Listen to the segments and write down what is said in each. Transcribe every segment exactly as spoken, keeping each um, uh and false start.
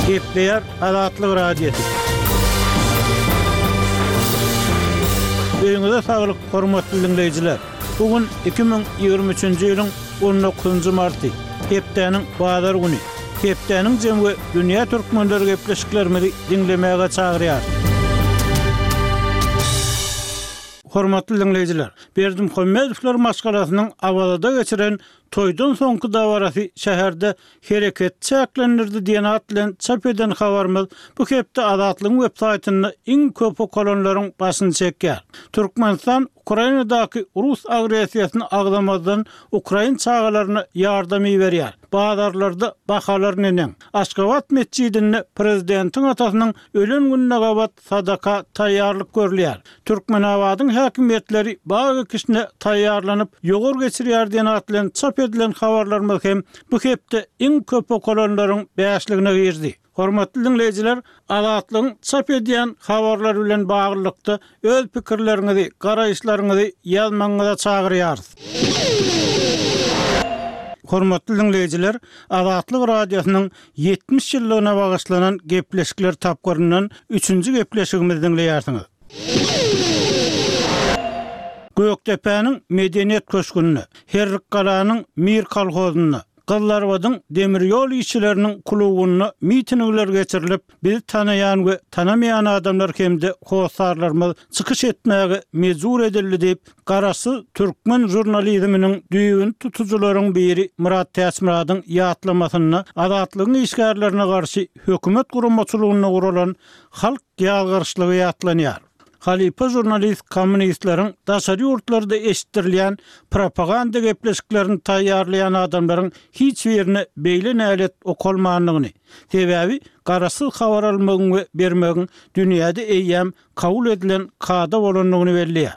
Gepleýär Azatlyk Radiosy. Öýüňize saglyk, hormatly diňleýjiler! Bu gün iki müň ýigrimi üçünji ýylyň on dokuzynjy marty, hepdäniň bazar güni. Hepdäniň jemi we dünýä türkmenleri gepleşiklerimizi diňlemäge çagyrýar. Hormatly diňleýjiler, Berdimuhamedowlar maşgalasynyň Awazada geçiren toýdan soňky dabarasy şäherde hereket çäklendirdi diýen at bilen çap eden habarymyz bu hepde Azatlygyň web saýtynda iň köp okalanlaryň başyny çekýär. Türkmenistan Ukrainadaky rus agressiýasyny agzamazdan ukrain çagalaryna ýardam iberýär. Bazarlarda bahalar neneň? Aşgabat metjidinde prezidentiň atasynyň ölen gününe gabat sadaka taýýarlyk görülýär. Türkmenabadyň häkimiýetleri bag ekişine taýýarlanyp, ýowar geçirýär diýen at bilen çap edilen habarlarymyz hem bu hepde iň köp okalanlaryň bäşligine girdi. Hormatly diňleýjiler, Azatlygyň çap edýän habarlary bilen baglylykda öz pikirleriňizi, garaýyşlaryňyzy ýazmagyňyza çagyrýarys. Hormatly diňleýjiler, Azatlyk Radiosynyň ýetmiş ýyllygyna bagyşlanan gepleşikler tapgyryndan üçünji gepleşigimizi diňleýärsiňiz. Gökdepäniň Medeniýet köşgünde, Herrikgalanyň Mir kolhozynda, Gyzlarbadyň demir ýol işçileriniň klubynda mitingler geçirilip, bizi tanaýan we tanamaýan adamlar hem-de hossarlarymyz çykyş etmäge mejbur edildi diýip, garaşsyz türkmen žurnalizminiň düýbüni tutujylaryň biri Myrat Täçmyradyň ýatlamasynda Azatlygyň işgärlerine garşy hökümet guramaçylygynda guralan halk ýazgaryşlygy ýatlanýar. Halypa žurnalist kommunistleriň daşary ýurtlarda eşitdirilýän propaganda gepleşiklerini taýýarlaýan adamlaryň hiç birine beýle nälet okalmandygyny, sebäbi garaşsyz habar almagyň we bermegiň dünýäde eýýäm kabul edilen kada bolandygyny belleýär.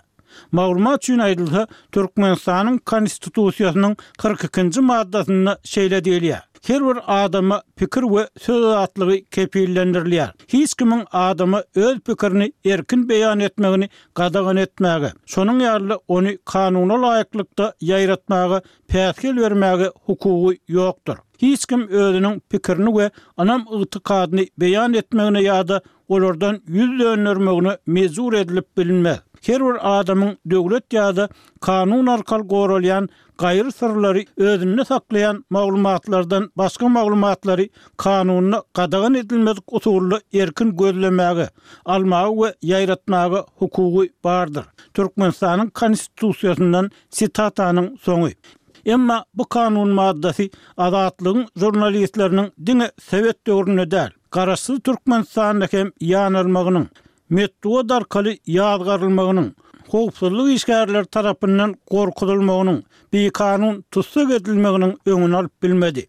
Maglumat üçin aýdylsa, Türkmenistanyň Konstitusiýasynyň kyrk ikinji maddasynda şeýle diýilýär, Her bir adama pikir we söz azatlygy kepillendirilýär. Hiç kimiň adama öz pikirini erkin beýan etmegini gadagan etmäge, şonuň ýaly-da ony kanuna laýyklykda ýaýratmaga päsgel bermäge hukugy ýokdur. Hiç kim özüniň pikirini we ynam-ygtykadyny beýan etmegine ýa-da olardan ýüz döndermegine mejbur edilip bilinmez. Her bir adamyň döwlet ýa-da kanun arkaly goralýan gaýry syrlary özünde saklaýan maglumatlardan başga maglumatlary kanunda gadagan edilmedik usulda erkin gözlemäge, almaga we ýaýratmaga hukugy bardyr. Türkmenistanyň Konstitusiýasyndan sitatanyň soňy. Emma bu kanun maddasy Azatlygyň žurnalistleriniň diňe sowet döwründe däl, Garaşsyz Türkmenistanda hem ýanalmagynyň, metbugat arkaly ýazgarylmagynyň, howpsuzlyk işgärleri tarapyndan gorkuzylmagynyň, bikanun tussag edilmeginiň öňüni alyp bilmedi.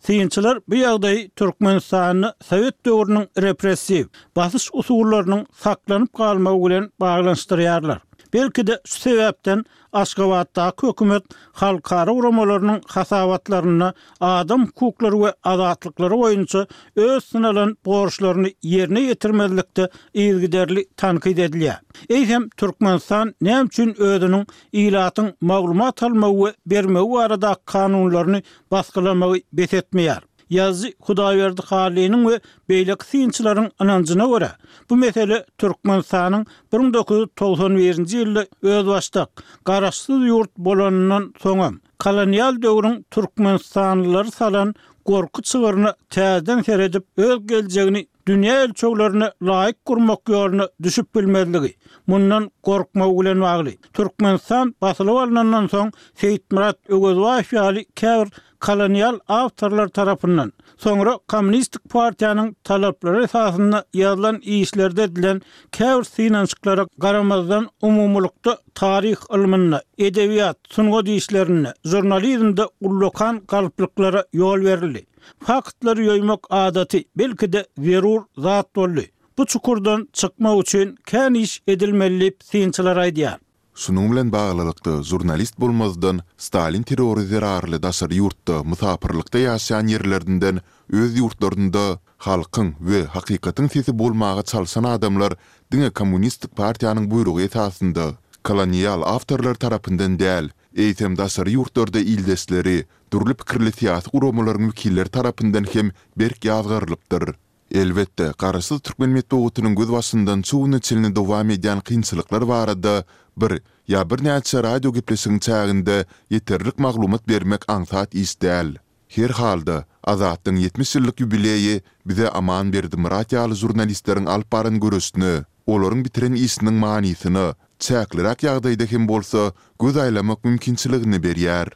Synçylar bu ýagdaýy Türkmenistanda sowet döwrüniň repressiw, basyş usullarynyň saklanyp galmagy bilen baglanyşdyrýarlar. Belki-de şu sebäpden Aşgabatdaky hökümet halkara guramalarynyň hasabatlarynda adam hukuklary we azatlyklary boýunça öz synalan borçlaryny ýerine ýetirmezlikde yzygiderli tankyt edilýär. Eýsem, Türkmenistan näme üçin özüniň ilatyň maglumat almagy we bermegi baradaky kanunlaryny basgylamagy bes etmeýär? Ýazyjy Hudaýberdi Hallynyň we beýleki synçylaryň ynanjyna görä, bu mesele Türkmenistanyň bir müň dokuz ýüz togsan birinji ýylda özbaşdak, garaşsyz ýurt bolanyndan soňam, kolonial döwrüň türkmenistanlylary salan gorky çygryna täzeden seredip, öz geljegini dünýä ölçeglerine laýyk gurmak ýoluna düşüp bilmezligi, mundan gorkmagy bilen bagly. Türkmenistan basylyp alnandan soň Seýitmyrat Öwezbaýew ýaly käbir kolonial awtorlar tarapyndan, soňra Kommunistik partiýanyň talaplary esasynda ýazylan işlerde edilen käbir synanyşyklara garamazdan umumylykda taryh ylmynda, edebiýat, sungat işlerinde, žurnalizmde ullakan galplyklara ýol berildi. Faktlary ýoýmak adaty, belki-de zerur zat boldy. Bu çukurdan çykmak üçin kän iş edilmeli diýip, synçylar aýdýar. Şunuň bilen baglylykda, žurnalist bolmazdan, Stalin terrory zerarly daşary ýurtda, mysapyrlykda ýaşaýan ýerlerinden öz ýurtlarynda halkyň we hakykatyň sesi bolmaga çalşan adamlar diňe kommunistik partiýanyň buýrugy esasynda, kolonial awtorlar tarapyndan däl, eýsem daşary ýurtlarda ildeşleri, dürli pikirli syýasy guramalaryň wekilleri tarapyndan hem berk ýazgarylypdyr. Elbetde, garaşsyz türkmen metbugatynyň gözbaşyndan şu güne çenli dowam edýän kynçylyklar barada bir ýa birnäçe radiogepleşigiň çäginde ýeterlik maglumat bermek aňsat iş däl. Her halda, Azatlygyň ýetmiş ýyllyk ýubileýi bize Aman Berdimyrat ýaly žurnalistleriň alyp baran göreşine, olaryň bitiren işiniň manysyna, çäkliräk ýagdaýda hem bolsa, göz aýlamak mümkinçiligini berýär.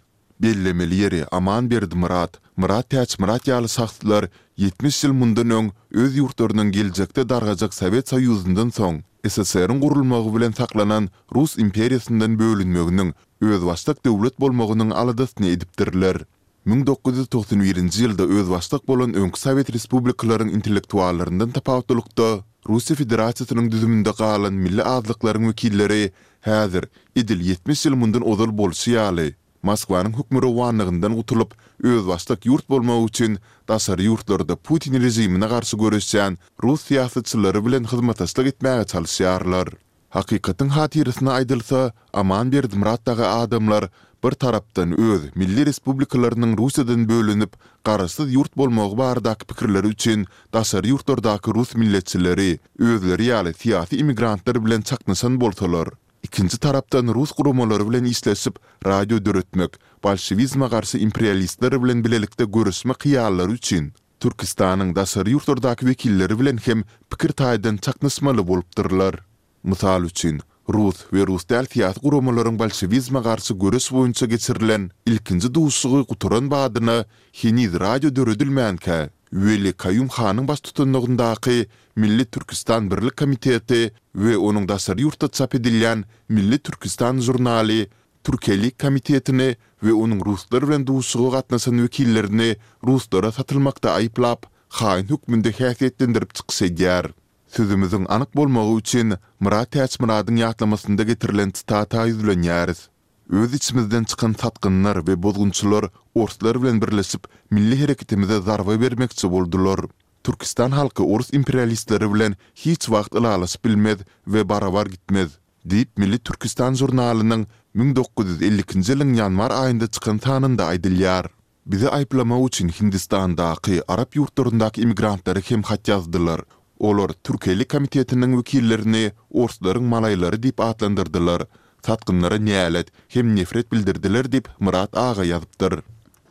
Bellemeli ýeri, Aman Berdimyrat, Myrat Täçmyrat ýaly şahslar ýetmiş ýyl mundan öň öz ýurtlarynyň geljekde dargajak Sowet Soýuzyndan soň S S R-iň gurulmagy bilen saklanan Rus imperiýasyndan bölünmeginiň, özbaşdak döwlet bolmagynyň aladasyny edipdirler. Müň dokuz ýüz togsan birinji ýylda özbaşdak bolan öňki sowet respublikalaryň intellektuallaryndan tapawutlylykda, Russiýa Federasiýasynyň düzüminde galan milli azlyklaryň wekilleri häzir, edil ýetmiş ýyl mundan ozal bolşy ýaly, Moskwanyň hökmürowanlygyndan gutulyp, özbaşdak ýurt bolmak üçin daşary ýurtlarda Putin režimine garşy göreşýän rus syýasatçylary bilen hyzmatdaşlyk etmäge çalyşýarlar. Hakykatyň hatyrasyna aýdylsa, Aman Berdimyrat dagy adamlar bir tarapdan öz milli respublikalarynyň Russiýadan bölünip, garaşsyz ýurt bolmagy baradaky pikirleri üçin daşary ýurtlardaky rus milletçileri, özleri ýaly syýasy immigrantlar bilen çaknyşan bolsalar, ikinji tarapdan rus guramalary bilen işleşip, radio döretmek, bolşewizme garşy imperialistler bilen bilelikde göreşmek hyýallary üçin Türküstanyň daşary ýurtlardaky wekilleri bilen hem pikir taýdan çaknyşmaly bolupdyrlar. Mysal üçin, rus we rus däl syýasy guramalaryň bolşewizme garşy göreş boýunça geçirilen ilkinji duşuşygy gutaran badyna heniz radio döredilmänkä, Weli Kaýum hanyň baştutanlygyndaky Milli Türküstan Birlik komiteti we onuň daşary ýurtda çap edilýän Milli Türküstan žurnaly Türkelik komitetini we onuň ruslar bilen duşuşyga gatnaşan wekillerini ruslara satylmakda aýyplap, haýyn hökmünde häsiýetlendirip çykyş edýär. Sözümiziň anyk bolmagy üçin Myrat Täçmyradyň ýatlamasynda getirilen sitata ýüzlenýäris. Öz içimizden çykan satgynlar we bozgunçylar orslar bilen birleşip milli hereketimize zarba bermekçi boldular. Türküstan halky orus imperialistleri bilen hiç wagt ylalaşyp bilmez we barabar gitmez. Diýip, Milli Türküstan žurnalynyň müň dokuz ýüz elli ikinji ýylyň ýanwar aýynda çykan sanynda aýdylýar. Bizi aýyplamak üçin Hindistandaky, arap ýurtlaryndaky immigrantlara hem hat ýazdylar. Olar Türkeli komitetiniň wekillerini orslaryň malaýlary diýip atlandyrdylar, satgynlara nälet hem nefret bildirdiler diýip, Myrat aga ýazypdyr.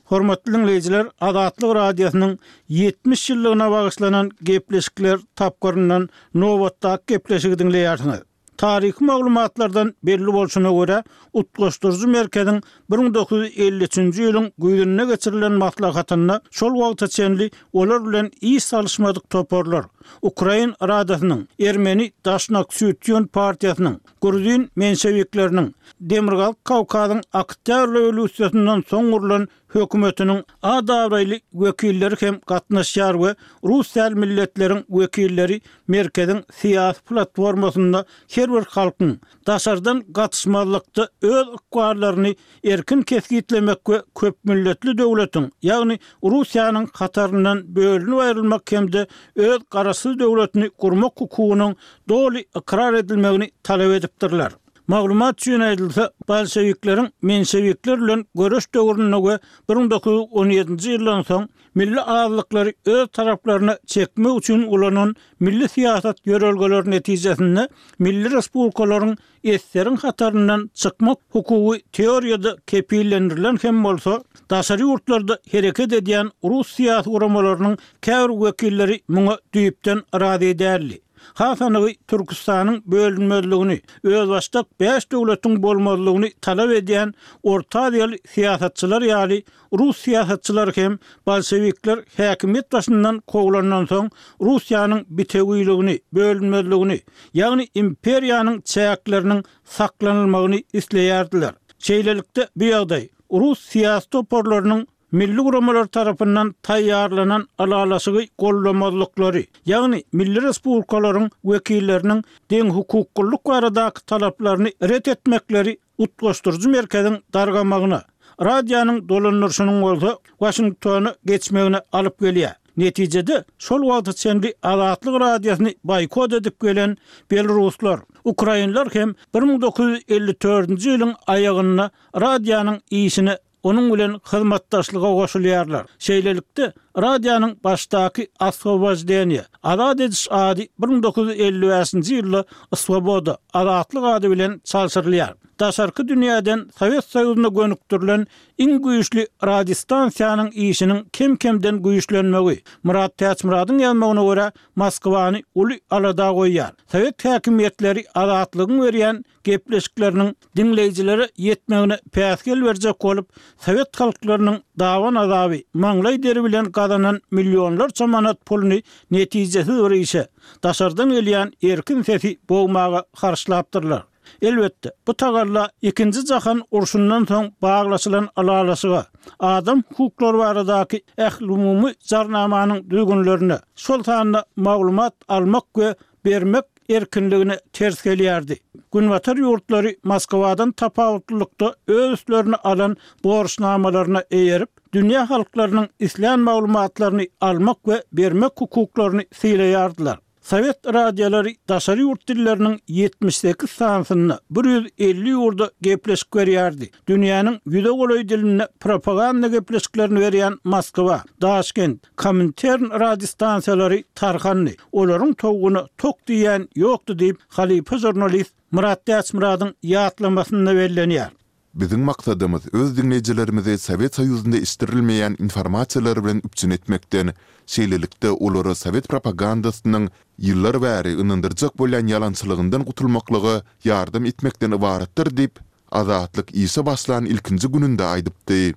Hormatly diňleýjiler, Azatlyk Radiosynyň ýetmiş ýyllygyna bagyşlanan gepleşikler tapgyryndan nobatdaky gepleşigi diňleýärsiňiz. Taryhy maglumatlardan belli bolşuna görä, Utgaşdyryjy merkeziň bir müň dokuz ýüz elli üçünji ýylyň güýzünde geçirilen maslahatynda şol wagta çenli olar bilen iş salyşmadyk toparlar, Ukrain Radasynyň, Ermeni Daşnaksütýun partiýasynyň, Gruzin menşewikleriniň, Demirgazyk Kawkazyň Oktýabr rewolýusiýasyndan soň gurlan hökümetiniň at-abraýly wekilleri hem gatnaşýar we rus däl milletleriň wekilleri merkeziň syýasy platformasynda her bir halkyň daşardan gatyşmazlykda öz ykballaryny erkin kesgitlemek we köpmilletli döwletiň, ýagny Russiýanyň hataryndan bölünip aýrylmak hem-de öz garaşsyz döwletini gurmak hukugynyň doly ykrar edilmegini talap edipdirler. Maglumat üçin aýdylsa, bolşewikleriň menşewikler bilen göreş döwründe we bir müň dokuz ýüz on ýedinji ýyldan soň milli azlyklary öz taraplaryna çekmek üçin ulanan milli syýasat ýörelgeleri netijesinde milli respublikalaryň eseriň hataryndan çykmak hukugy teoriýada kepillendirilen hem bolsa, daşary ýurtlarda hereket edýän rus syýasy guramalarynyň käbir wekilleri muňa düýpden razy däldi. Has anygy, Türküstanyň bölünmezligini, özbaşdak bäş döwletiň bolmazlygyny talap edýän Orta Aziýaly syýasatçylar ýaly rus syýasatçylary hem bolşewikler häkimiýet başyndan kowlandan soň Russiýanyň bitewiligini, bölünmezligini, ýagny imperiýanyň çäkleriniň saklanylmagyny isleýärdiler. Şeýlelikde, bu ýagdaý rus syýasy toparlarynyň milli guramalar tarapyndan taýýarlanan ylalaşygy gollamazlyklary, ýagny milli respublikalaryň wekilleriniň deňhukuklylyk baradaky talaplaryny ret etmekleri Utgaşdyryjy merkeziň dargamagyna, radionyň dolandyryşynyň bolsa Waşingtona geçmegine alyp gelýär. Netijede, şol wagta çenli Azatlyk Radiosyny boýkot edip gelen belaruslar, ukrainler hem bir müň dokuz ýüz elli dördünji ýylyň aýagynda radionyň işine onuň bilen hyzmatdaşlyga goşulýarlar. Şeýlelikde, radionyň başdaky Oswoboždeniýe, Azat ediş ady bir müň dokuz ýüz elli bäşinji ýylda Swoboda, Azatlyk ady bilen çalşyrylýar. Daşarky dünýäden Sowet Soýuzyna gönükdirilen iň güýçli radiostansiýanyň işiniň kem-kemden güýçlenmegi, Myrat Täçmyradyň ýazmagyna görä, Moskwany uly alada goýýar. Sowet häkimiýetleri Azatlygyň berýän gepleşikleriniň diňleýjilere ýetmegine päsgel berjek bolup, sowet halklarynyň daban azaby, maňlaý deri bilen gazanan millionlarça manat puluny netijesiz bir işe, daşardan gelýän erkin sesi bogmaga harçlapdyrlar. Elbetde, bu tagalla Ikinji jahan urşundan soň baglaşylan ylalaşyga, adam hukuklary baradaky ählumumy jarnamanyň düzgünlerine, şol sanda maglumat almak we bermek erkinligine ters gelýärdi. Günbatar ýurtlary Moskwadan tapawutlylykda öz üstlerine alan borçnamalaryna eýerip, dünýä halklarynyň islän maglumatlaryny almak we bermek hukuklaryny sylaýardylar. Sowet radiolary daşary ýurt dilleriniň ýetmiş sekiz sanysynda bir ýüz elli ýurda gepleşik berýärdi. Dünýäniň ýüze golaý dilinde propaganda gepleşiklerini berýän Moskwa, Daşkent, Komintern radiostansiýalary tarhandy. Olaryň towugyna tok diýýän ýokdy diýip, halypa žurnalist Myrat Täçmyradyň ýatlamasynda bellenýär. Biziň maksadymyz öz diňleýjilerimizi Sowet Soýuzynda eşitdirilmeýän informasiýalar bilen üpjün etmekden, şeýlelikde olara sowet propagandasynyň ýyllar bäri ynandyrjak bolýan ýalançylygyndan gutulmaklyga ýardam etmekden ybaratdyr diýip, Azatlyk işe başlan ilkinji gününde aýdypdy.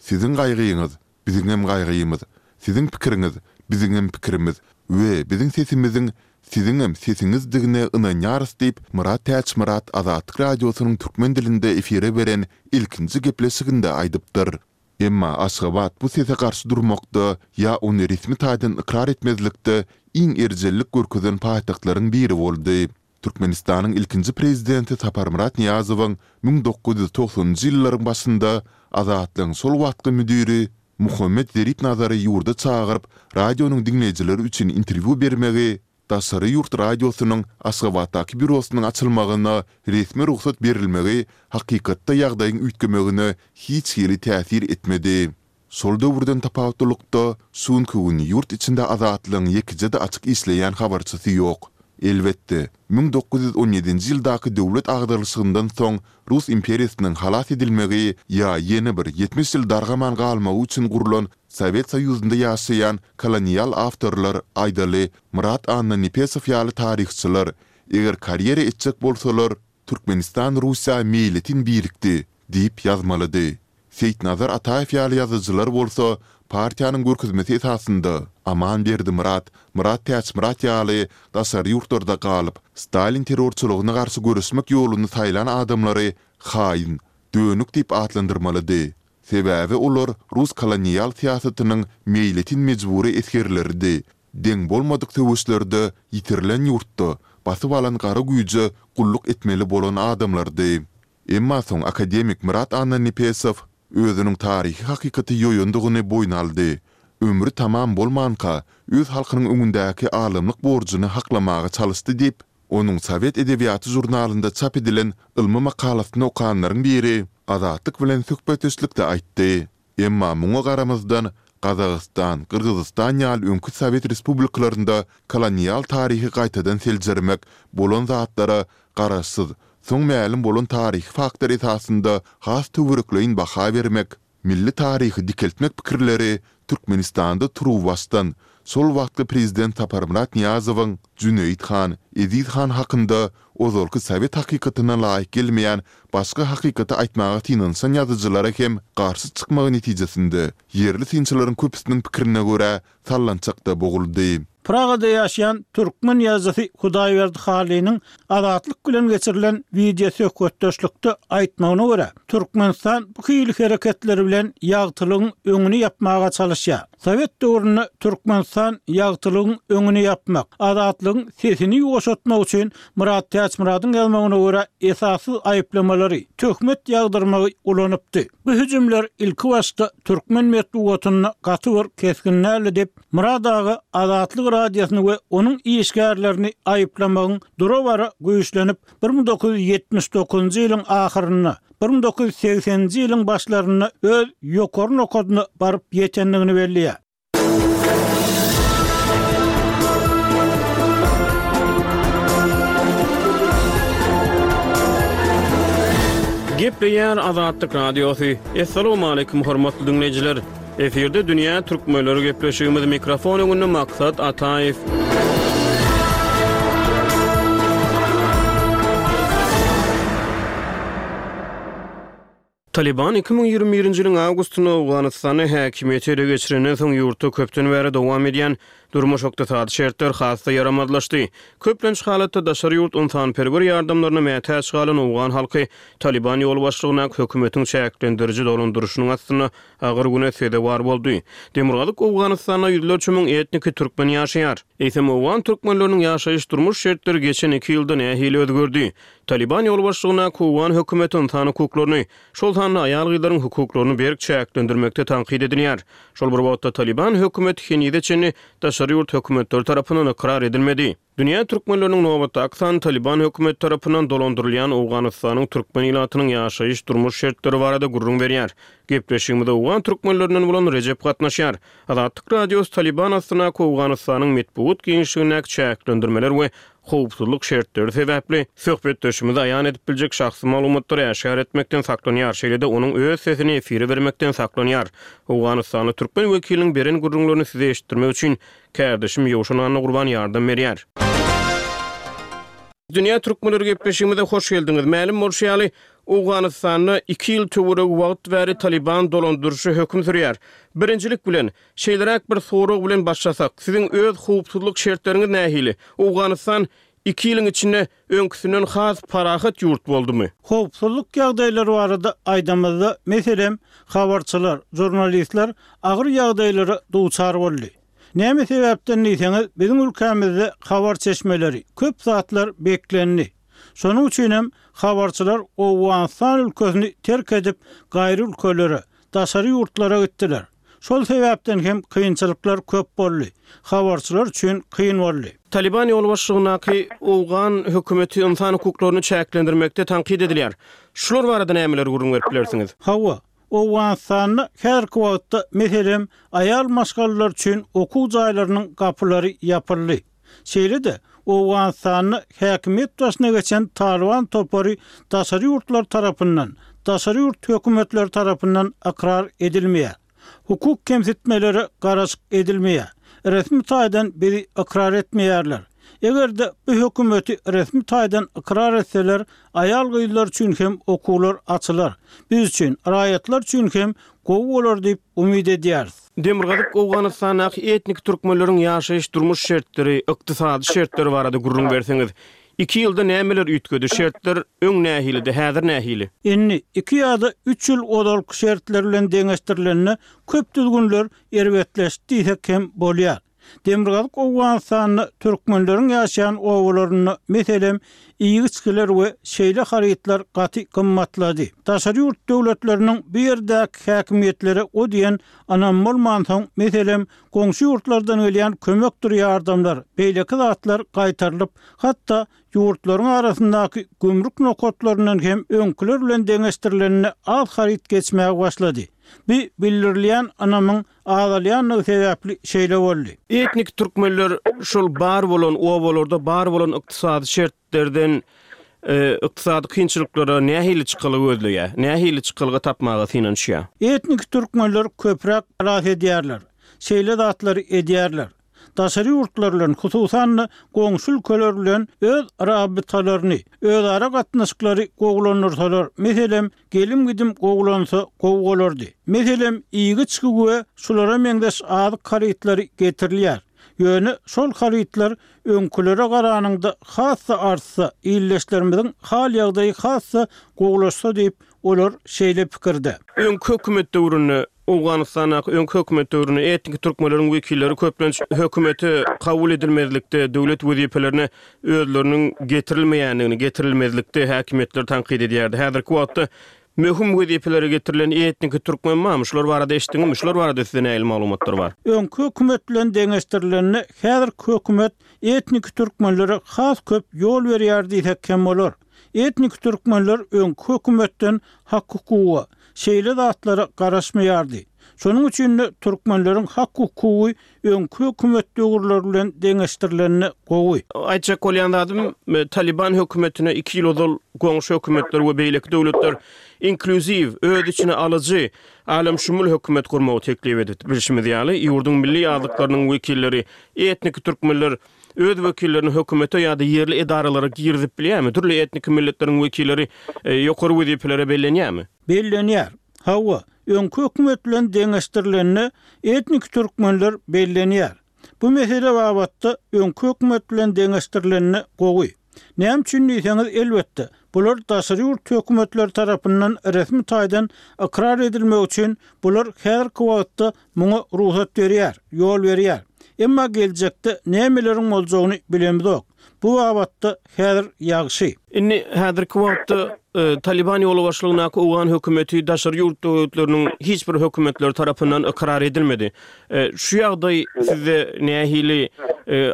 Siziň gaýgyňyz, biziňem gaýgymyz, siziň pikiriňiz, biziňem pikirimiz we biziň sesimiziň siziňem sesiňizdigine ynanýarys diýip, Myrat Täçmyrat Azatlyk Radiosynyň türkmen dilinde efire beren ilkinji gepleşiginde aýdypdyr. Emma Aşgabat bu sese garşy durmakda ýa ony resmi taýdan ykrar etmezlikde iň erjellik görkezen paýtagtlaryň biri boldy. Türkmenistanyň ilkinji prezidenti Saparmyrat Nyýazowyň müň dokuz ýüz togsanynjy ýyllaryň başynda Azatlygyň şol wagtky müdiri Muhammet Zeripnazary ýurda çagyryp, radionyň diňleýjileri üçin interwýu bermegi, daşary ýurt radiosynyň Aşgabatdaky býurosynyň açylmagyna resmi rugsat berilmegi hakykatda ýagdaýyň üýtgemegine hiç hili täsir etmedi. Şol döwürden tapawutlylykda, şu günki gün ýurt içinde Azatlygyň ýekeje-de açyk işleýän habarçysy ýok. Elbetde, müň dokuz ýüz on ýedinji ýyldaky döwlet agdarylyşygyndan soň Rus imperiýasynyň halas edilmegi ýa ýene bir ýetmiş ýyl dargaman galmagy üçin gurlan Sowet Soýuzynda ýaşaýan kolonial awtorlar, aýdaly, Myrat Annanepesow ýaly taryhçylar, eger karýera etjek bolsalar, Türkmenistan Russiýa meýletin birikdi diýip ýazmalydy. Seýitnazar Ataýew ýaly ýazyjylar bolsa partiýanyň görkezmesi esasynda Aman Berdimyrat, Myrat Täçmyrat ýaly daşary ýurtlarda galyp, Stalin terrorçylygyna garşy göreşmek ýoluny saýlan adamlary haýyn, dönük diýip atlandyrmalydy. Sebäbi olar rus kolonial syýasatynyň meýletin mejbury esgerleridi, deň bolmadyk söweşlerde ýitirilen ýurtda basyp alan gara güýje gulluk etmeli bolan adamlardy. Emma soň akademik Myrat Annanepesow özüniň taryhy hakykaty ýoýandygyny boýun aldy. Ömri tamam bolmanka, öz halkynyň öňündäki alymlyk borjuny haklamaga çalyşdy diýip, onuň Sowet edebiýaty žurnalynda çap edilen ylmy makalasyny okanlaryň biri Azatlyk bilen söhbetdeşlikde aýtdy. Emma muňa garamazdan, Gazagystan, Gyrgyzystan ýaly öňki sowet respublikalarynda kolonial taryhy gaýtadan seljermek, bolan zatlara garaşsyz, soň mälim bolan taryhy faktlar esasynda has töwerekleýin baha bermek, milli taryhy dikeltmek pikirleri Türkmenistanda turuwbaşdan şol wagtky prezident Saparmyrat Nyýazowyň Jüneýit han, Eziz han hakynda ozalky sowet hakykatyna laýyk gelmeýän başga hakykaty aýtmaga synanyşan ýazyjylara hem garşy çykmagy netijesinde, ýerli synçylaryň köpüsiniň pikirine görä, sallançakda boguldy. Pragada ýaşaýan türkmen ýazyjysy Hudaýberdi Hallynyň Azatlyk bilen geçirilen wideosöhbetdeşlikde aýtmagyna görä, Türkmenistan bu hili hereketleri bilen ýagtylygyň öňüni ýapmaga çalyşýar. Sowet döwründe Türkmenistan ýagtylygyň öňüni ýapmak, Azatlygyň sesini ýuwaşatmak üçin Myrat Täçmyradyň ýazmagyna görä esassyz aýyplamalary, töhmet ýagdyrmagy ulanypdy. Bu hüjümler ilkibaşda türkmen metbugatynda gaty bir kesgin däldi diýip, Myrat aga Azatlyk Radiosyny we onuň işgärlerini aýyplamagyň dura-bara güýçlenip, bir müň dokuz ýüz ýetmiş dokuzynjy ýylyň ahyrynda, bir müň dokuz ýüz segseninji ýylyň başlarynda öz ýokary nokadyna baryp ýetendigini belleýär. Gepleýär Azatlyk Radiosy. Assalamualaikum hormatly dinleýjiler. Efirde Dünýä Türkmenleri gepleşigimiz mikrofon öňünde Maksat Ataýew. Taliban iki müň ýigrimi birinji ýylyň awgustynda Owganystanda häkimiýeti ele geçirenden soň ýurtda köpden bäri dowam edýän durmuş-ykdysady şertler has-da ýaramazlaşdy. Köplenç halatda daşary ýurt ynsanperwer ýardamlaryna mätäç galan owgan halky Taliban ýolbaşçylygyndaky hökümetiň çäklendiriji dolandyryşynyň astynda agyr güne sezewar boldy. Demirgazyk Owganystanda ýüzlerçe müň etniki türkmen ýaşaýar. Eýsem owgan türkmenleriniň ýaşaýyş durmuş şertleri geçen iki ýylda nähili özgerdi? Taliban ýolbaşçylygyndaky owgan hökümeti ynsan hukuklaryny, şol sanda aýal-gyzlaryň hukuklaryny berk çäklendirmekde tankyt edilýär. Şol bir wagtda Taliban hökümeti henize çenli daşary ýurt hökümetleri tarapyndan ykrar edilmedi. Dünýä türkmenleriniň nobatdaky sany Taliban hökümeti tarapyndan dolandyrylýan Owganystanyň türkmen ilatynyň ýaşaýyş durmuş şertleri barada gürrüň berýär. Gepleşigimize owgan türkmenlerinden bolan Rejep gatnaşýar. Azatlyk Radiosy Taliban astyndaky Owganystanyň metbugat giňişligindäki çäklendirmeler we howpsuzlyk şertleri sebäpli söhbetdeşimizi aýan edip biljek şahsy maglumatlary äşgär etmekden saklanýar, şeýle-de onuň öz sesini efire bermekden saklanýar. Owganystanly türkmen wekiliniň beren gürrüňlerini size eşitdirmek üçin kärdeşim Ýowşan Annagurban ýardam berýär. Dünýä türkmenleri gepleşigimize hoş geldiňiz. Mälim bolşy ýaly, Owganystanda iki ýyl töweregi wagt bäri Taliban dolandyryşy höküm sürýär. Birinjilik bilen, şeýleräk bir sorag bilen başlasak, siziň öz howpsuzlyk şertleriňiz nähili? Owganystan iki ýylyň içinde öňküsinden has parahat ýurt boldumy? Howpsuzlyk ýagdaýlary barada aýdamyzda, meselem, habarçylar, jurnalistler agyr ýagdaýlara duçar boldy. Näme sebäpden diýseňiz, biziň ülkämizde habar çeşmeleri, köp zatlar beklendi. Şonuň üçin hem habarçylar Owganystan ülkesini terk edip gaýry ülkelere, daşary ýurtlara gitdiler. Şol sebäpden hem kynçylyklar köp boldy. Habarçylar üçin kyn boldy. Taliban ýolbaşçylygyndaky owgan hökümeti ynsan hukuklaryny çäklendirmekde tankyt edilýär. Şular barada nämeler gürrüň berip bilersiňiz? Hawa, Owganystanda häzirki wagtda meselem aýal maşgalalar üçin okuw jaýlarynyň gapylary ýapyldy. Şeýle-de Owganystanda häkimiýet başyna geçen Taliban topary daşary ýurtlar tarapyndan, daşary ýurt hökümetleri tarapyndan ykrar edilmeýär. Hukuk kemsitmelere garaşyk edilmeýär. Resmi taýdan bizi ykrar etmeýärler. Eger-de bu hökümeti resmi taýdan ykrar etseler, aýal gyzlar üçin hem okuwlar açylar. Biz üçin, raýatlar üçin hem gowy bolar diýip umyt edýäris. Demirgazyk Owganystandaky etnik türkmenleriň ýaşaýyş durmuş şertleri, ykdysady şertleri barada gürrüň berseňiz, iki ýylda nämeler üýtgedi, şertler öň nähilidi, häzir nähili? Indi iki ýa-da üç ýyl ozalky şertler bilen deňeşdirilende köp düzgünler erbetleşdi diýsek hem bolýar. Demirgazyk Owganystanda türkmenleriň ýaşaýan obalarynda meselem iýgi-içgiler we şeýle harytlar gaty gymmatlady. Daşary ýurt döwletleriniň bu ýerdäki häkimiýetlere o diýen ynam bolmansoň, meselem goňşy ýurtlardan gelýän kömekdir ýardamlar, beýleki zatlar gaýtarylyp, hatda ýurtlaryň arasyndaky gümrük nokatlaryndan hem öňküler bilen deňeşdirilende az haryt geçmäge başlady. Bu bildirilýän ynamyň azalýandygy sebäpli şeýle boldy. Etnik türkmenler şol bar bolan obalarda bar bolan ykdysady şertlerden, e, ykdysady kynçylyklara nähili çykalga gözleýär, nähili çykalga tapmaga synanyşýar? Etnik türkmenler köpräk halas edýärler, şeýle zatlary edýärler. Daşary ýurtlar bilen, hususan-da goňşy ülkeler bilen öz rabitalaryny, özara gatnaşyklary gowulandyrsalar, meselem, gelim-gidim gowulansa gowy bolardy. Meselem, iýgi-içgi we şulara meňzeş azyk harytlary getirilýär. Ýöne şol harytlar öňkülere garanyňda has-da artsa, illeşlerimiziň hal ýagdaýy has-da gowulaşsa diýip, olar şeýle pikirde. Öňki hökümet döwründe, Owganystandaky öňki hökümet döwründe etnik türkmenleriň wekilleri köplenç hökümete kabul edilmezlikde, döwlet wezipelerine özleriniň getirilmeýändigini, getirilmezlikde häkimiýetler tankyt edýärdi. Häzirki wagtda möhüm wezipelere getirilen etnik türkmen barmy? Şular barada eşitdiňmi? Şular barada size nähili maglumatlar bar? Öňki hökümet bilen deňeşdirilende häzirki hökümet etnik türkmenlere has köp ýol berýär diýsek hem bolar. Etnik türkmenler öňki hökümetden hak-hukuga, şeýle zatlara garaşmaýardy. Şonuň üçin-de türkmenleriň hak-hukugy öňki hökümet döwürleri bilen deňeşdirilende gowy. Aýtjak bolýan zadym, Taliban hökümetine iki ýyl ozal goňşy hökümetler we beýleki döwletler inklýuziw, öz içine alyjy, alemşumul hökümet gurmagy teklip edipdi. Bilşimiz ýaly, ýurduň milli azlyklarynyň wekilleri, etniki türkmenler öz wekillerini hökümete ýa-da ýerli edaralara girizip bilýärmi? Dürli etniki milletleriň wekilleri ýokary wezipelere bellenýärmi? Bellenýär. Hawa, öňki hökümet bilen deňeşdirilende etniki türkmenler bellenýär. Bu mesele babatda öňki hökümet bilen deňeşdirilende gowy. Näme üçin diýseňiz, elbetde, bular daşary ýurt hökümetleri tarapyndan resmi taýdan ykrar edilmek üçin bular häzirki wagtda muňa rugsat berýär, ýol berýär. Emma geljekde nämeleriň boljagyny bilemzok. Bu babatda häzir ýagşy. Indi häzirki wagtda Taliban ýolbaşçylygyndaky owgan hökümeti daşary ýurt döwletleriniň hiç bir hökümetleri tarapyndan ykrar edilmedi. Şu ýagdaý sizde nähili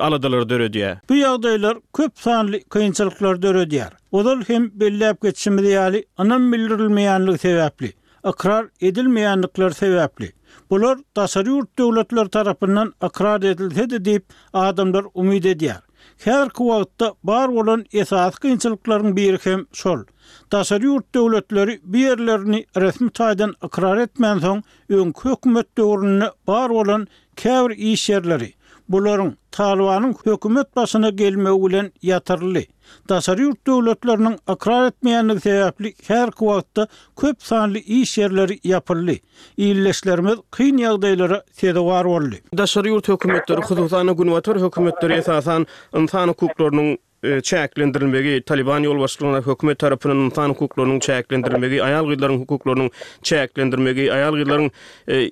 aladalar döredýär? Bu ýagdaýlar köp sanly kynçylyklar döredýär. Ozal hem belläp geçişimiz ýaly, ynam bildirilmeýänligi sebäpli, ykrar edilmeýänlikleri sebäpli, bular daşary ýurt döwletleri tarapyndan ykrar edilsedi diýip adamlar umyt edýär. Häzirki wagtda bar bolan esasy kynçylyklaryň biri hem şol. Daşary ýurt döwletleri bu ýerlerini resmi taýdan ykrar etmänsoň, öňki hökümet döwründe bar bolan käbir iş ýerleri, bularyň Talybanyň hökümet başyna gelmegi bilen ýatyryldy. Daşary ýurt döwletleriniň ykrar etmeýänligi sebäpli häzirki wagtda köp sanly iş ýerleri ýapyldy. Ildeşlerimiz kyn ýagdaýlara sezewar boldy. Daşary ýurt hökümetleri, hususan-da Günbatar hökümetleri esasan ynsan hukuklarynyň çäklendirilmegi, Taliban ýolbaşçylygyndaky hökümet tarapyndan ynsan hukuklarynyň çäklendirilmegi, aýal-gyzlaryň hukuklarynyň çäklendirmegi, aýal-gyzlaryň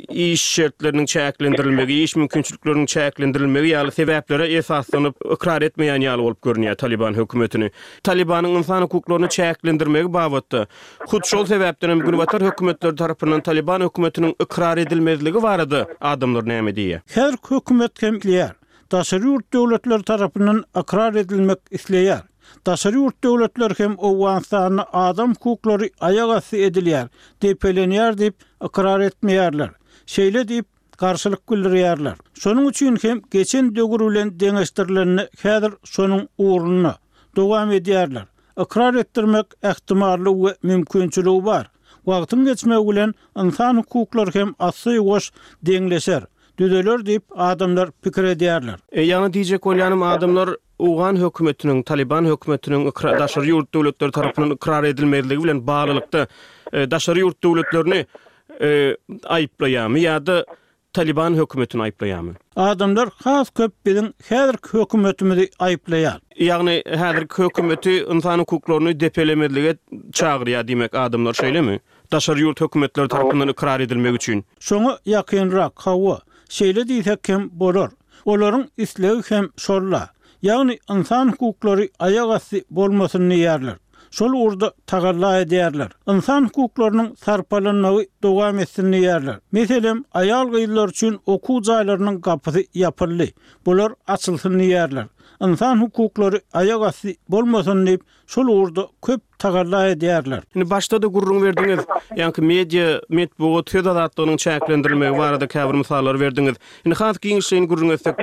iş şertleriniň çäklendirilmegi, iş mümkinçilikleriniň çäklendirilmegi ýaly sebäplere esaslanyp ykrar etmeýän ýaly bolup görünýär Taliban hökümetini. Talibanyň ynsan hukuklaryny çäklendirmegi babatda hut şol sebäpden hem Günbatar hökümetleri tarapyndan Taliban hökümetiniň ykrar edilmezligi barada adamlar näme diýýär? Her hökümet hem diýär. Daşary ýurt döwletleri tarapyndan ykrar edilmek isleýär. Daşary ýurt döwletleri hem Owganystanda adam hukuklary aýak asty edilýär, depelenýär diýip ykrar etmeýärler. Şeýle diýip garşylyk bildirýärler. Şonuň üçin hem geçen döwür bilen deňeşdirilende häzir şonuň ugrunda dowam edýärler. Ykrar etdirmek ähtimally we mümkinçiligi bar. Wagtyň geçmegi bilen ynsan hukuklary hem asy-ýuwaş deňleşer, düzeler diýip adamlar pikir edýärler. E, ýagny diýjek bolýanym adamlar Owgan hökümetiniň, Taliban hökümetiniň ykrar daşary ýurt döwletleri tarapyndan ykrar edilmezligi bilen baglylykda e, daşary ýurt döwletlerini e, aýyplaýarmy ýa-da Taliban hökümetini aýyplaýarmy? Adamlar has köp biziň häzirki hökümetimizi aýyplaýar. Ýagny häzirki hökümeti ynsan hukuklaryny depelemezlige çagyrýar diýmek adamlar şeýlemi? Daşary ýurt hökümetleri tarapyndan ykrar edilmek üçin. Şoňa ýakynrak, hawa, şeýle diýsek hem bolar. Olaryň islegi hem şolla. Ýagny ynsan hukuklary aýak asty bolmasyn diýýärler. Şol ugurda tagalla edýärler. Ynsan hukuklarynyň sarpalanmagy dowam etsin diýýärler. Meselem, aýal-gyzlar üçin okuw jaýlarynyň gapysy ýapyldy. Bular açylsyn diýýärler. Ynsan hukuklary aýak asty bolmasyn diýip, şol ugurda köp tagalla edýärler. Indi başda-da gürrüň berdiňiz, ýaňky media, metbugat, söz azatlygynyň çäklendirilmegi barada käbir mysallar berdiňiz. Indi has giňişleýin gürrüň etsek,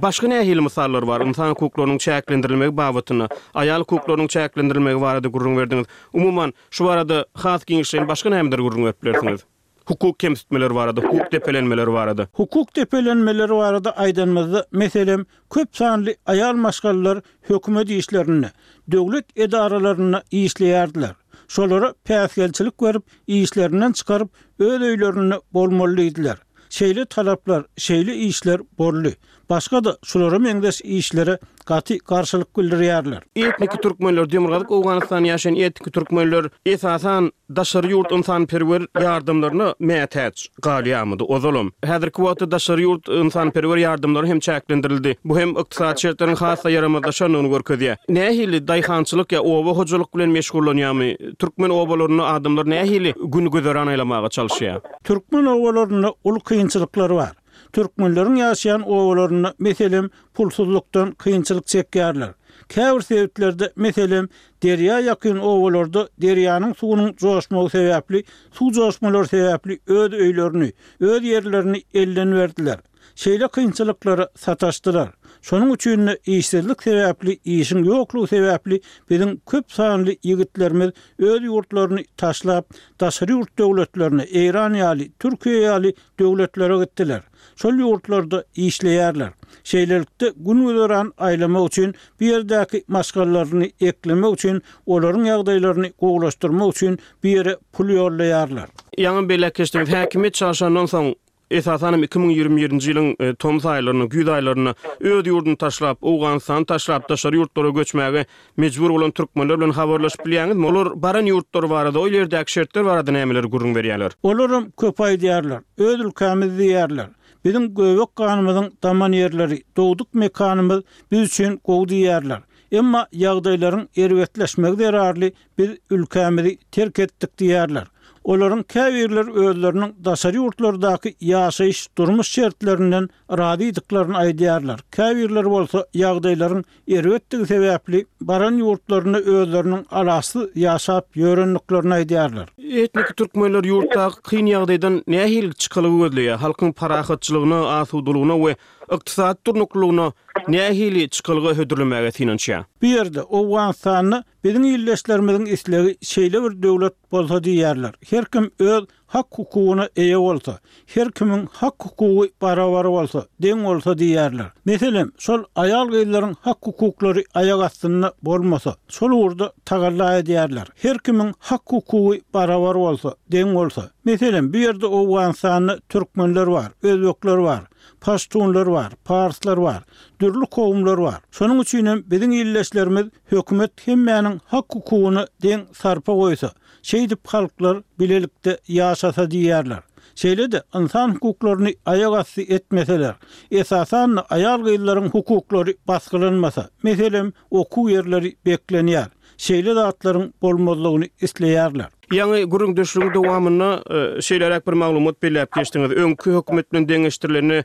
başga nähili mysallar bar ynsan hukuklarynyň çäklendirilmegi babatynda, aýal hukuklarynyň çäklendirilmegi barada gürrüň berdiňiz. Umuman, şu barada has giňişleýin başga nämedir gürrüň berip bilersiňiz? Hukuk kemsitmeleri barada, hukuk depelenmeleri barada. Hukuk depelenmeleri barada aýdanymyzda, meselem, köp sanly aýal maşgalalar hökümet işlerinde, döwlet edaralarynda işleýärdiler. Şolara päsgelçilik berip, işlerinden çykaryp, öz öýlerinde bolmaly diýdiler. Şeýle talaplar, şeýle işler boldy. Başga-da şulara meňzeş işlere gaty garşylyk bildirýärler. Etniki türkmenler, Demirgazyk Owganystanda ýaşaýan etniki türkmenler esasan daşary ýurt ynsanperwer ýardamlaryna mätäç galýarmydy ozalam. Häzirki wagtda daşary ýurt ynsanperwer ýardamlary hem çäklendirildi. Bu hem ykdysady şertleriň has-da ýaramazlaşandygyny görkezýär. Nähili daýhançylyk ýa oba hojalyk bilen meşgullanýarmy? Türkmen obalarynda adamlar nähili gün güzeran aýlamaga çalyşýar? Türkmen obalarynda uly kynçylyklar bar. Türkmenleriň ýaşaýan obalarynda meselem pulsuzlykdan kynçylyk çekýärler. Käbir sebitlerde, meselem, derýa ýakyn obalarda derýanyň suwunyň joşmagy sebäpli, suw joşmalary sebäpli öz öýlerini, öz ýerlerini elden berdiler. Şeýle kynçylyklara sataşdylar. Şonuň üçin-de işsizlik sebäpli, işiň ýoklugy sebäpli biziň köp sanly ýigitlerimiz öz ýurtlaryny taşlap, daşary ýurt döwletlerine, Eýran ýaly, Türkiýe ýaly döwletlere gitdiler. Şol ýurtlarda işleýärler. Şeýlelikde, gün-güzeran aýlamak üçin, bu ýerdäki maşgalalaryny eklemek üçin, olaryň ýagdaýlaryny gowulaşdyrmak üçin bu ýere pul ýollaýarlar. Ýaňy belläp geçdiňiz, häkimiýet çalşandan soň, esasan hem iki müň ýigrimi birinji ýylyň tomus aýlarynda, güýz aýlarynda öz ýurduny taşlap, Owganystany taşlap, daşary ýurtlara göçmäge mejbur bolan türkmenler bilen habarlaşyp bilýäňizmi? Olar baran ýurtlary barada, ol ýerdäki şertler barada nämeleri gürrüň berýärler? Olaram köp aýdýarlar. Öz ülkämiz diýýärler. Biziň göbek ganymyzyň daman ýerleri, dogduk mekanymyz biz üçin gowy diýýärler. Emma ýagdaýlaryň erbetleşmegi zerarly biz ülkämizi terk etdik diýýärler. Olaryň käbirleri özleriniň daşary ýurtlardaky ýaşaýyş, durmuş şertlerinden razydyklaryny aýdýarlar. Käbirleri bolsa ýagdaýlaryň erbetdigi sebäpli baran ýurtlarynda özleriniň alaçsyz ýaşap ýörendiklerini aýdýarlar. Etniki türkmenler ýurtdaky kyn ýagdaýdan nähili çykalga gözleýär? Halkyň parahatçylygyna, asudalygyna we ykdysady durnuklylygyna nähili çykalga hödürlemäge synanyşýar? Bu ýerde, Owganystanda biziň ildeşlerimiziň islegi şeýle bir döwlet bolsa diýýärler. Her kim öz hak-hukugyna eýe bolsa, her kimiň hak-hukugy barabar bolsa, deň bolsa diýýärler. Meselem, şol aýal-gyzlaryň hak-hukuklary aýak astynda bolmasa, şol ugurda tagalla edýärler. Her kimiň hak-hukugy barabar bolsa, deň bolsa. Meselem, bu ýerde Owganystanda türkmenler bar, özbekler bar, paştunlar bar, parslar bar, dürli kowumlar bar. Şonuň üçin hem biziň ildeşlerimiz hökümet hemmäniň hak-hukugyna deň sarpa goýsa, şeýdip halklar bilelikde ýaşasa diýýärler. Şeýle-de ynsan hukuklaryny aýak asty etmeseler, esasan-da aýal-gyzlaryň hukuklary basgylanmasa, meselem, okuw ýerleri beklenýär, şeýle zatlaryň bolmazlygyny isleýärler. Ýaňy gürrüňdeşligiň dowamynda şeýleräk bir maglumat belläp geçdiňiz. Öňki hökümet bilen deňeşdirilende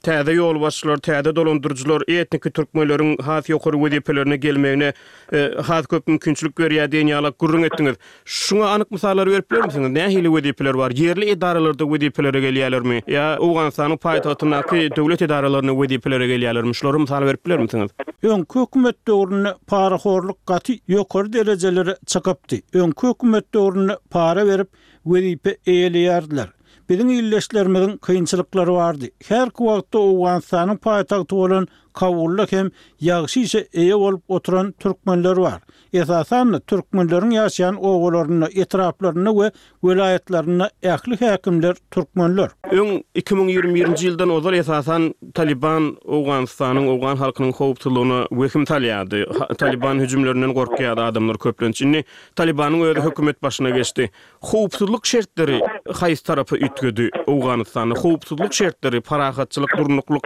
täze ýolbaşçylar, täze dolandyryjylar etniki türkmenleriň has ýokary wezipelerine gelmegine has köp mümkinçilik berýär diýen ýaly gürrüň etdiňiz. Şuňa anyk mysallar berip bilermisiňiz? Nähili wezipeler bar? Ýerli edaralarda wezipelere gelýärlermi? Ýa Owganystanyň paýtagtyndaky döwlet edaralarynda wezipelere gelýärlermi? Şulara mysal berip bilermisiňiz? Öňki hökümet döwründe parahorluk gaty ýokary derejelere çykypdy. Öňki hökümet döwründe para berip wezipe eýeleýärdiler. Biziň ildeşlerimiziň kynçylyklary bardy. Häzirki wagtda Owganystanyň paýtagty bolan Kabulda hem ýagşy işe eýe bolup oturan türkmenler bar. Esasan-da, türkmenleriň ýaşaýan obalarynda, etraplarynda we welaýatlarynda ähli häkimler türkmenler. Öň, iki müň ýigrimi birinji ýyldan ozal esasan Talyban Owganystanyň, owgan halkynyň howpsuzlygyna wehim salýardy. Talyban hüjümlerinden gorkýardy adamlar köplenç. Indi Talybanyň özi hökümet başyna geçdi. Howpsuzlyk şertleri haýsy tarapa üýtgedi Owganystanda? Howpsuzlyk şertleri, parahatçylyk, durnuklyk,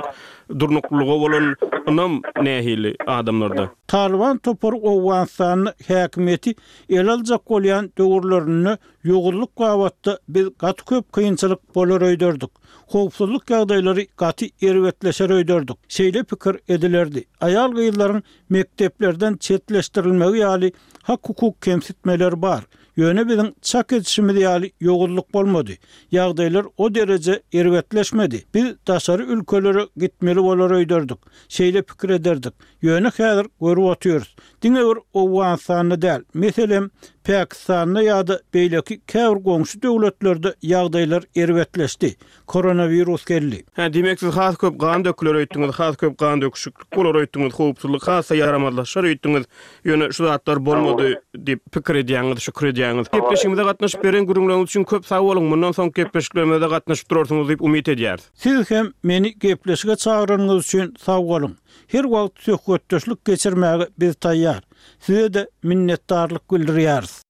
durnuklylyga bolan ynam nähili adamlarda? Talyban topary Owganystanda häkimiýeti ele aljak bolýan döwürlerinde ýowuzlyk babatda biz gaty köp kynçylyk bolar öýderdik. Howpsuzlyk ýagdaýlary gaty erbetleşer öýderdik. Şeýle pikir edilerdi. Aýal-gyzlaryň mekdeplerden çetleşdirilmegi ýaly hak-hukuk kemsitmeleri bar. Ýöne biziň çak edişimiz ýaly ýowuzlyk bolmady. Ýagdaýlar o dereje erbetleşmedi. Biz daşary ülkelere gitmeli bolar öýderdik. Şeýle pikir ederdik. Ýöne häzir görüp otyrys. Diňe bir Owganystanda däl, meselem, Pakistanda ýa-da beýleki käbir goňşy döwletlerde ýagdaýlar erbetleşdi. Koronawirus geldi. Hä, diýmek siz has köp gan döküler öýtdüňiz, has köp gan döküşiklik bolar öýtdüňiz, howpsuzlyk has-da ýaramazlaşar öýtdüňiz. Ýöne şu zatlar bolmady diýip pikir edýäňiz, şükür edýäňiz. Gepleşigimize gatnaşyp beren gürrüňleriňiz üçin köp sag boluň. Mundan soňky gepleşiklerimize-de gatnaşyp durarsyňyz diýip umyt edýäris. Siz hem meni gepleşige çagyranyňyz üçin sag boluň. Her wagt söhbetdeşlik geçirmäge biz taýýar. Size-de minnetdarlyk bildirýäris.